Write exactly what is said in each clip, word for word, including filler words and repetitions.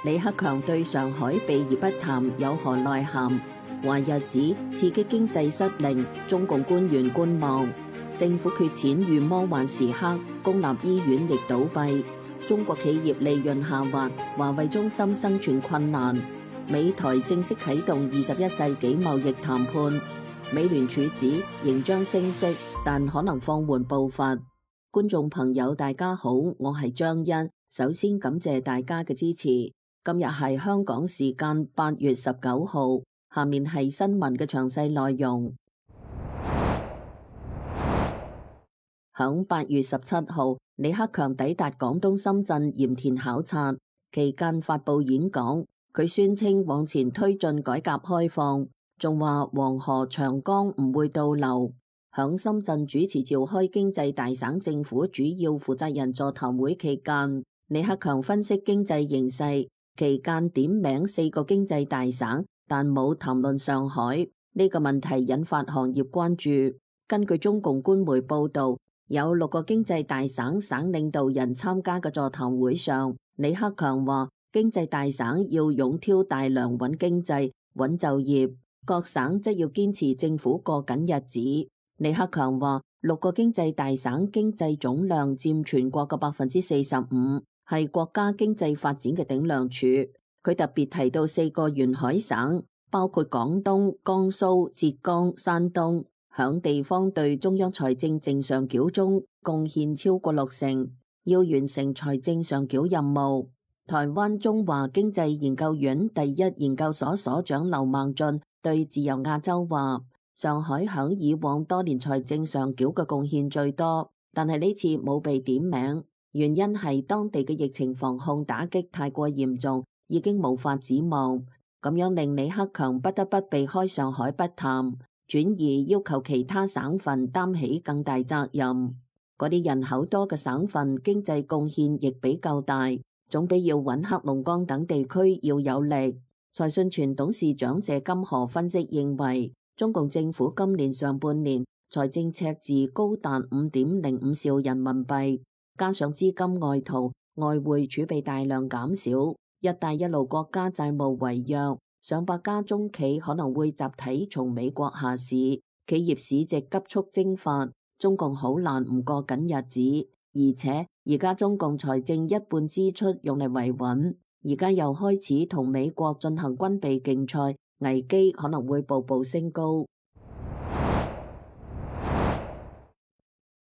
李克強對上海避而不談有何內涵？華日指刺激經濟失靈，中共官員觀望。政府缺錢遇魔幻時刻，公立醫院亦倒閉。中國企業利潤下滑，華為中心生存困難。美台正式啟動二十一世紀貿易談判。美聯儲指仍將升息，但可能放緩步伐。觀眾朋友大家好，我係張欣，首先感謝大家嘅支持。今日係香港時間八月十九號，下面係新聞嘅詳細內容。響八月十七號，李克強抵達廣東深圳鹽田考察期間發佈演講，佢宣稱往前推進改革開放，仲話黃河長江唔會倒流。響深圳主持召開經濟大省政府主要負責人座談會期間，李克強分析經濟形勢，期間點名四個經濟大省，但冇談論上海。呢個問題引發行業關注。根據中共官媒報道，有六個經濟大省省領導人參加嘅座談會上，李克強話經濟大省要勇挑大梁穩經濟、穩就業，各省則要堅持政府過緊日子。李克強話六個經濟大省經濟總量佔全國嘅百分之四十五，係國家經濟發展嘅頂梁柱。佢特別提到四個沿海省，包括廣東、江蘇、浙江、山東，響地方對中央財政正常繳中貢獻超過六成，要完成財政上繳任務。台灣中華經濟研究院第一研究所所長劉孟俊對自由亞洲話，上海響以往多年財政上繳嘅貢獻最多，但係呢次冇被點名，原因係當地嘅疫情防控打擊太過嚴重，已經無法指望，咁樣令李克強不得不避開上海不談，轉而要求其他省份擔起更大責任。嗰啲人口多嘅省份經濟貢獻亦比較大，總比要搵黑龍江等地區要有力。財訊全董事長謝金河分析認為，中共政府今年上半年財政赤字高達五點零五兆人民幣，加上資金外逃，外匯儲備大量減少，一帶一路國家債務違約，上百家中企可能會集體從美國下市，企業市值急速蒸發，中共好難唔過緊日子。而且而家中共財政一半支出用嚟維穩，而家又開始同美國進行軍備競賽，危機可能會步步升高。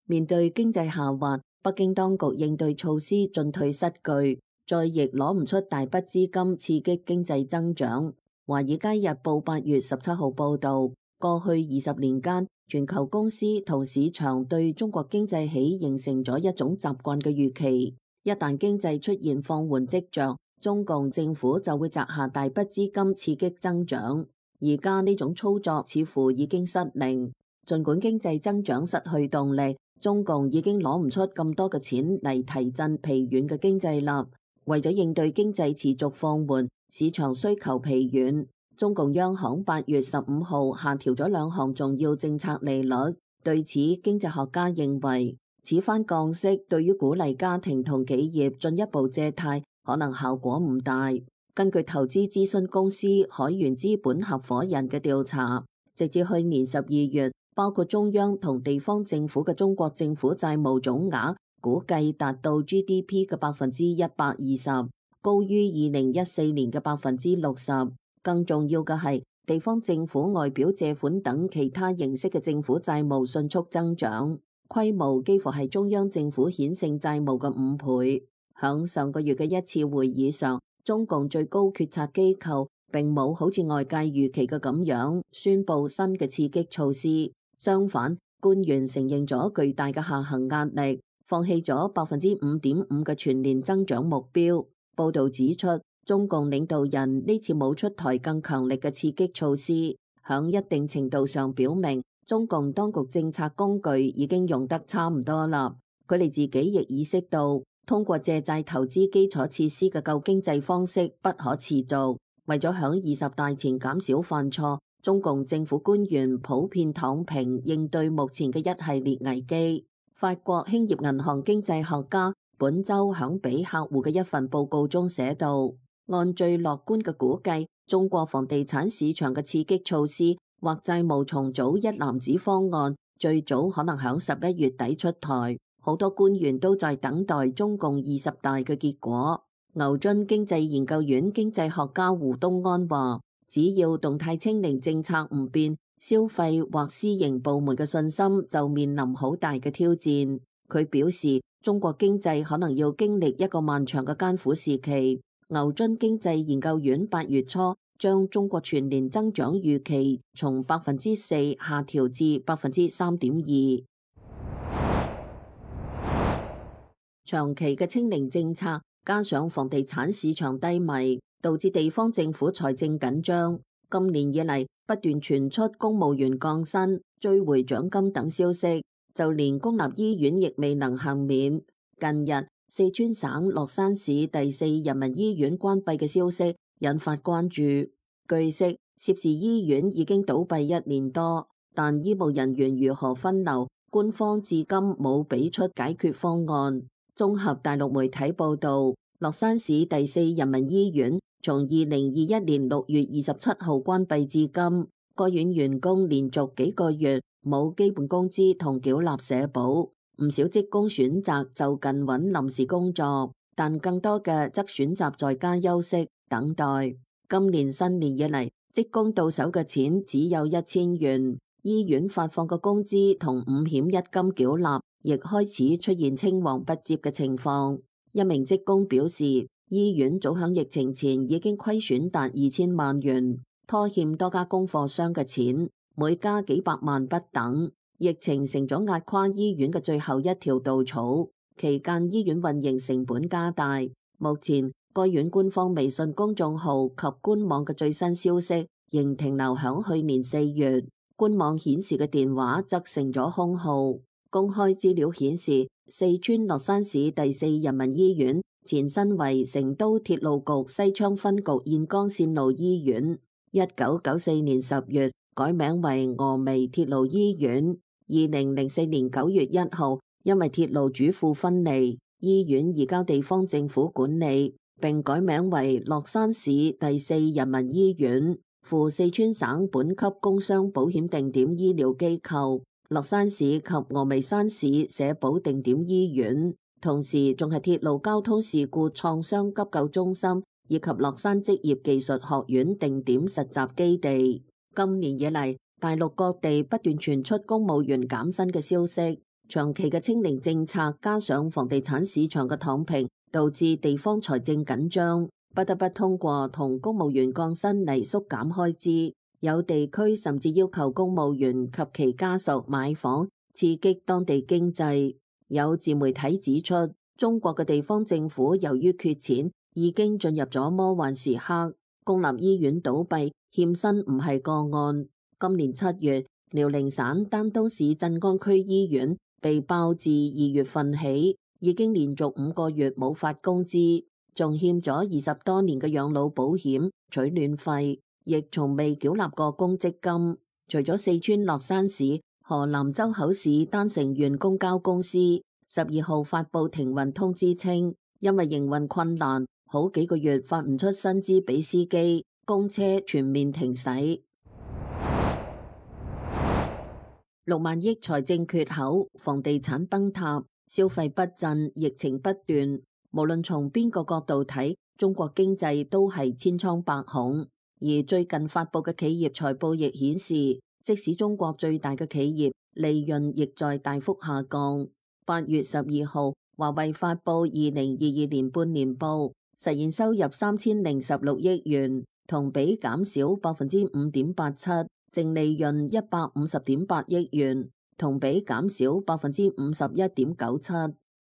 面對經濟下滑，北京當局應對措施進退失據，再亦攞唔出大筆資金刺激經濟增長。華爾街日報八月十七號報道，過去二十年間，全球公司同市場對中國經濟起形成咗一種習慣嘅預期，一旦經濟出現放緩跡象，中共政府就會砸下大筆資金刺激增長。而家呢種操作似乎已經失靈，儘管經濟增長失去動力，中共已經攞唔出咁多嘅錢嚟提振疲軟嘅經濟啦。為咗應對經濟持續放緩，市場需求疲軟，中共央行八月十五號下調咗兩項重要政策利率。對此，經濟學家認為，此番降息對於鼓勵家庭同企業進一步借貸可能效果唔大。根據投資諮詢公司海源資本合夥人嘅調查，直至去年十二月，包括中央同地方政府嘅中國政府債務總額估計達到 G D P 嘅百分之一百二十，高於二零一四年嘅百分之六十。更重要嘅係，地方政府外表借款等其他形式嘅政府債務迅速增長，規模幾乎係中央政府顯性債務嘅五倍。響上個月嘅一次會議上，中共最高決策機構並冇好似外界預期嘅咁樣宣布新嘅刺激措施，相反，官員承認咗巨大嘅下行壓力，放棄咗百分之五點五嘅全年增長目標。報道指出，中共領導人呢次冇出台更強力嘅刺激措施，響一定程度上表明中共當局政策工具已經用得差唔多啦。佢哋自己亦意識到，通過借債投資基礎設施嘅救經濟方式不可持續。為咗響二十大前減少犯錯，中共政府官員普遍躺平應對目前嘅一系列危機。法國興業銀行經濟學家本周響俾客戶嘅一份報告中寫道，按最樂觀嘅估計，中國房地產市場嘅刺激措施或債務重組一籃子方案，最早可能響十一月底出台。好多官員都在等待中共二十大嘅結果。牛津經濟研究院經濟學家胡東安話，只要動態清零政策唔變，消費或私營部門嘅信心就面臨好大嘅挑戰。佢表示，中國經濟可能要經歷一個漫長嘅艱苦時期。牛津經濟研究院八月初將中國全年增長預期從百分之四下調至百分之三點二。長期嘅清零政策加上房地產市場低迷，導致地方政府財政緊張。今年以嚟不斷傳出公務員降薪、追回獎金等消息，就連公立醫院亦未能幸免。近日，四川省樂山市第四人民醫院關閉嘅消息引發關注。據悉，涉事醫院已經倒閉一年多，但醫務人員如何分流，官方至今冇俾出解決方案。綜合大陸媒體報道，樂山市第四人民醫院從二零二一年六月二十七號關閉至今，該院員工連續幾個月冇基本工資同繳納社保，唔少職工選擇就近揾臨時工作，但更多嘅則選擇在家休息等待。今年新年以嚟，職工到手嘅錢只有一千元，醫院發放嘅工資同五險一金繳納亦開始出現青黃不接嘅情況。一名職工表示，醫院早響疫情前已經虧損達二千萬元，拖欠多家供貨商嘅錢，每家幾百萬不等。疫情成咗壓垮醫院嘅最後一條稻草，期間醫院運營成本加大。目前該院官方微信公眾號及官網嘅最新消息仍停留響去年四月，官網顯示嘅電話則成咗空號。公開資料顯示，四川樂山市第四人民醫院前身為成都鐵路局西昌分局兗江線路醫院，一九九四年十月改名為峨眉鐵路醫院。二零零四年九月一號，因為鐵路主庫分離，醫院移交地方政府管理，並改名為樂山市第四人民醫院，赴四川省本級工傷保險定點醫療機構樂山市及峨眉山市社保定點醫院，同時仲係鐵路交通事故創傷急救中心以及樂山職業技術學院定點實習基地。今年以嚟，大陸各地不斷傳出公務員減薪嘅消息，長期嘅清零政策加上房地產市場嘅躺平，導致地方財政緊張，不得不通過同公務員降薪嚟縮減開支。有地區甚至要求公務員及其家屬買房，刺激當地經濟。有自媒體指出，中國嘅地方政府由於缺錢，已經進入咗魔幻時刻。公立醫院倒閉欠薪唔係個案。今年七月，遼寧省丹東市鎮安區醫院被爆自二月份起已經連續五個月冇發工資，仲欠咗二十多年嘅養老保險、取暖費，亦從未繳納過公積金。除咗四川樂山市，河南周口市丹城縣公交公司十二號發布停運通知稱，因為營運困難，好幾個月發唔出薪資俾司機，公車全面停駛。六萬億財政缺口，房地產崩塌，消費不振，疫情不斷。無論從邊個角度睇，中國經濟都係千瘡百孔。而最近發布嘅企業財報亦顯示，即使中國最大嘅企業利潤亦在大幅下降。八月十二號，華為發布二零二二年半年報，實現收入三千零十六億元，同比減少百分之五點八七。淨利潤一百五十點八億元，同比減少百分之五十一點九七。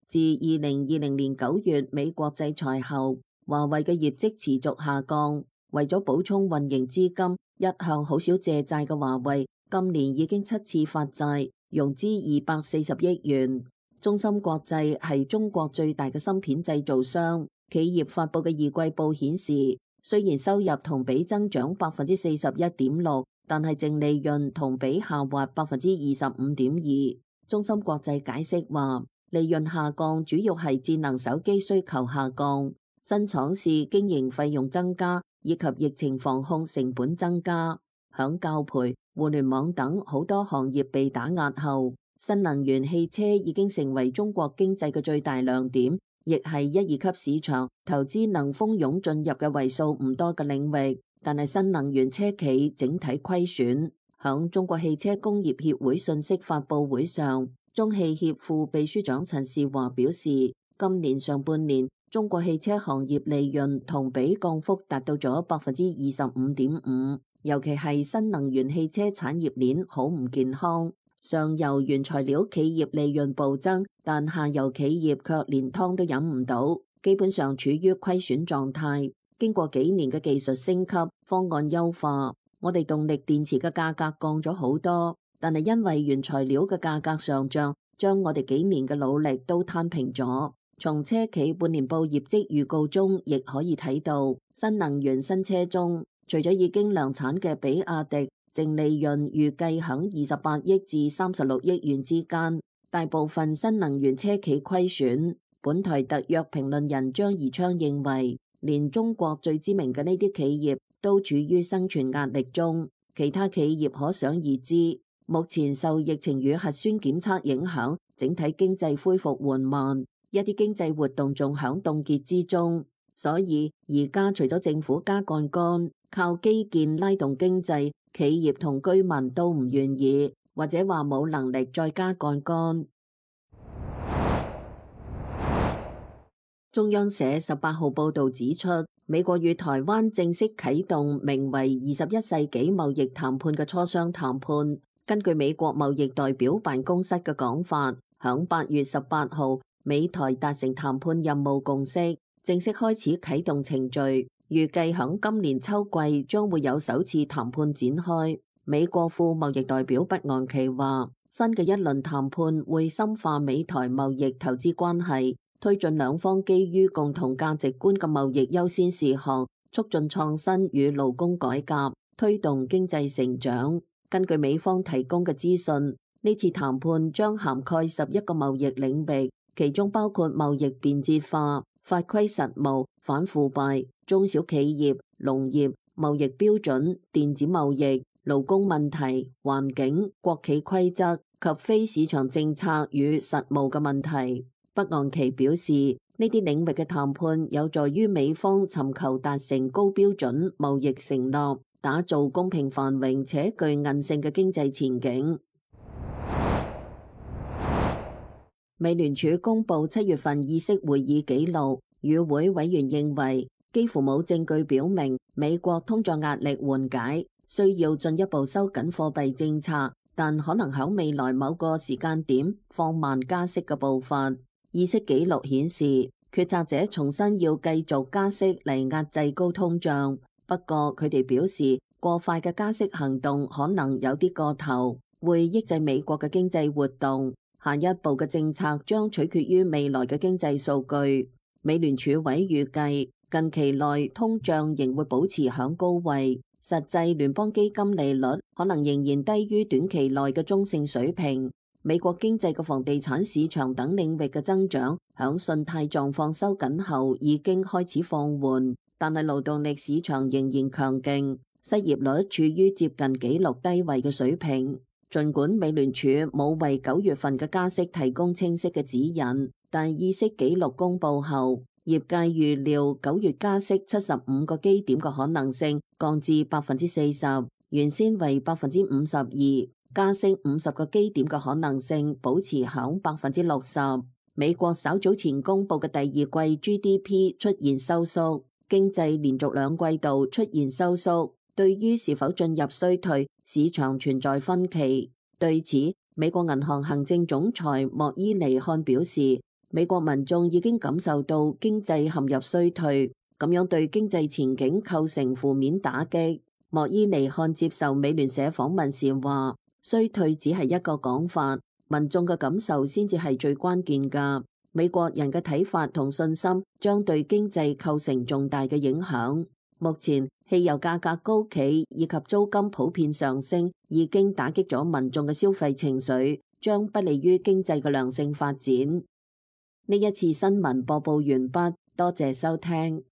自二零二零年九月美國制裁後，華為嘅業績持續下降。為咗補充運營資金，一向好少借債嘅華為，今年已經七次發債，融資二百四十億元。中芯國際係中國最大嘅芯片製造商，企業發佈嘅二季報顯示，雖然收入同比增長百分之四十一點六。但係淨利潤同比下滑百分之二十五點二。中芯國際解釋話，利潤下降主要係智能手機需求下降，新廠試經營費用增加，以及疫情防控成本增加。響教培、互聯網等好多行業被打壓後，新能源汽車已經成為中國經濟嘅最大亮點，亦係一二級市場投資能蜂擁進入嘅為數唔多嘅領域。但係新能源車企整體虧損。響中國汽車工業協會信息發佈會上，中汽協副秘書長陳士華表示，今年上半年中國汽車行業利潤同比降幅達到咗百分之二十五點五，尤其係新能源汽車產業鏈好唔健康，上游原材料企業利潤暴增，但下游企業卻連湯都飲唔到，基本上處於虧損狀態。經過幾年嘅技術升級、方案優化，我哋動力電池嘅價格降咗好多，但係因為原材料嘅價格上漲，將我哋幾年嘅努力都攤平咗。從車企半年報業績預告中，亦可以睇到，新能源新車中，除咗已經量產嘅比亞迪，淨利潤預計響二十八億至三十六億元之間，大部分新能源車企虧損。本台特約評論人張宜昌認為，連中國最知名嘅呢啲企業都處於生存壓力中，其他企業可想而知。目前受疫情與核酸檢測影響，整體經濟恢復緩慢，一啲經濟活動仲響凍結之中。所以而家除咗政府加槓桿，靠基建拉動經濟，企業同居民都唔願意，或者話冇能力再加槓桿。中央社十八號報導指出，美國與台灣正式啟動名為二十一世紀貿易談判嘅磋商談判。根據美國貿易代表辦公室嘅講法，響八月十八號，美台達成談判任務共識，正式開始啟動程序，預計響今年秋季將會有首次談判展開。美國副貿易代表畢昂奇話，新嘅一輪談判會深化美台貿易投資關係，推進兩方基於共同價值觀嘅貿易優先事項，促進創新與勞工改革，推動經濟成長。根據美方提供嘅資訊，呢次談判將涵蓋十一個貿易領域，其中包括貿易便捷化、法規實務、反腐敗、中小企業、農業、貿易標準、電子貿易、勞工問題、環境、國企規則及非市場政策與實務嘅問題。畢昂奇表示，呢啲領域嘅談判有助於美方尋求達成高標準貿易承諾，打造公平繁榮且具韌性嘅經濟前景。美聯儲公布七月份議息會議紀錄，與會委員認為幾乎冇證據表明美國通脹壓力緩解，需要進一步收緊貨幣政策，但可能喺未來某個時間點放慢加息嘅步伐。議息記錄顯示，決策者重新要繼續加息嚟壓制高通脹，不過佢哋表示過快嘅加息行動可能有啲過頭，會抑制美國嘅經濟活動。下一步嘅政策將取決於未來嘅經濟數據。美聯儲委預計近期內通脹仍會保持響高位，實際聯邦基金利率可能仍然低於短期內嘅中性水平。美國經濟嘅房地產市場等領域嘅增長，響信貸狀況收緊後已經開始放緩，但係勞動力市場仍然強勁，失業率處於接近紀錄低位嘅水平。儘管美聯儲冇為九月份嘅加息提供清晰嘅指引，但議息紀錄公佈後，業界預料九月加息七十五個基點嘅可能性降至百分之四十，原先為百分之五十二。加息五十個基點嘅可能性保持響百分之六十。美國稍早前公布嘅第二季 G D P 出現收縮，經濟連續兩季度出現收縮，對於是否進入衰退，市場存在分歧。對此，美國銀行行政總裁莫伊尼漢表示，美國民眾已經感受到經濟陷入衰退，咁樣對經濟前景構成負面打擊。莫伊尼漢接受美聯社訪問時話，衰退只係一個講法，民眾嘅感受先至係最關鍵㗎。美國人嘅睇法同信心將對經濟構成重大嘅影響。目前汽油價格高企以及租金普遍上升，已經打擊咗民眾嘅消費情緒，將不利於經濟嘅良性發展。呢一次新聞播報完畢，多謝收聽。